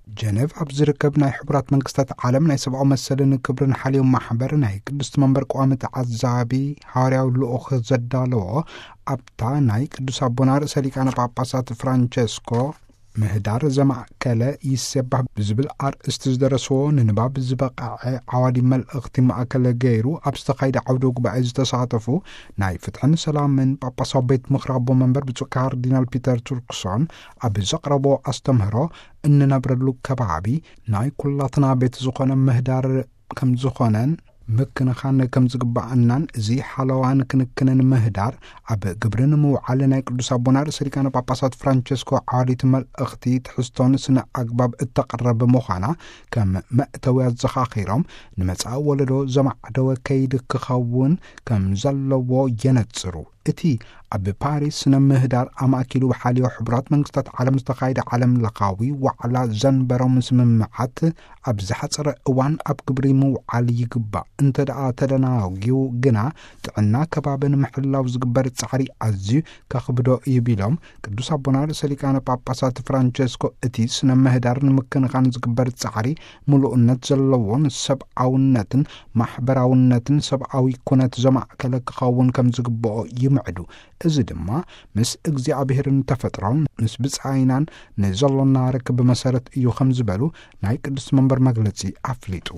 ጀነቭ ኣብ ዝርከብ ናይ ሕቡራት መንግስታት ዓለም ናይ ሰብኣዊ መሰልን ክብርን ሓልዮም ማሕበር ናይ ቅድስቲ መንበር ቀዋሚ ተዓዛቢ ሃዋርያዊ ልኡኽ ዘዳለዎ፣ ኣብታ ናይ ቅዱስ ኣቦና ርእሰ ሊቃነ ጳጳሳት ፍራንቸስኮ ምህዳር ዘማእከለ ይሴባህ ብዝብል ኣርእስቲ ዝደረስዎ ንንባብ ዝበቕዐ ዓዋዲ መልእኽቲ ማእከል ገይሩ ኣብ ዝተኻየደ ዓውደ ጉባኤ ዝተሳተፉ ናይ ፍትሕን ሰላምን ጳጳሳዊ ቤት ምኽሪ ኣቦ መንበር ብፁዕ ካርዲናል ፒተር ቱርክሶን ኣብ ዘቕረቦ ኣስተምህሮ፣ እንነብረሉ ከባቢ ናይ ኩላትና ቤት ዝኾነ ምህዳር ከም ዝኾነን ምክንኻን ከም ዝግባኣናን፣ እዚ ሓለዋን ክንክንን ምህዳር ኣብ ግብሪ ንምውዓል ናይ ቅዱስ ኣቦና ርእሰ ሊቃነ ጳጳሳት ፍራንቸስኮ ዓዋዲት መልእኽቲ ትሕዝቶን ስነ ኣግባብ እተቕረብ ምዃና ከም መእተዊ ኣዘኻኺሮም፣ ንመጻኢ ወለዶ ዘማዕደወ ከይዲ ክኸውን ከም ዘለዎ የነጽሩ። እቲ ኣብ ፓሪስ ስነ ምህዳር ኣማእኪሉ ብሓልዮ ሕቡራት መንግስታት ዓለም ዝተኻየደ ዓለም ለኻዊ ዋዕላ ዘንበሮም ስምምዓት ኣብ ዝሓጸረ እዋን ኣብ ግብሪ ምውዓል ይግባእ። እንተ ደኣ ተደናጊዩ ግና ጥዕና ከባቢ ንምሕላው ዝግበር ጻዕሪ ኣዝዩ ከኽብዶ እዩ ቢሎም፣ ቅዱስ ኣቦና ርእሰ ሊቃነ ጳጳሳት ፍራንቸስኮ እቲ ስነ ምህዳር ንምክንኻን ዝግበር ጻዕሪ ምሉእነት ዘለዎን ሰብኣውነትን ማሕበራውነትን ሰብኣዊ ኩነት ዘማእከለ ክኸውን ከም ዝግብኦ ይምዕዱ። እዚ ድማ ምስ እግዚኣብሔርን ተፈጥሮን ምስ ብጻይናን ንዘሎና ርክብ መሰረት እዩ ከም ዝበሉ ናይ ቅዱስ መንበር መግለጺ ኣፍሊጡ።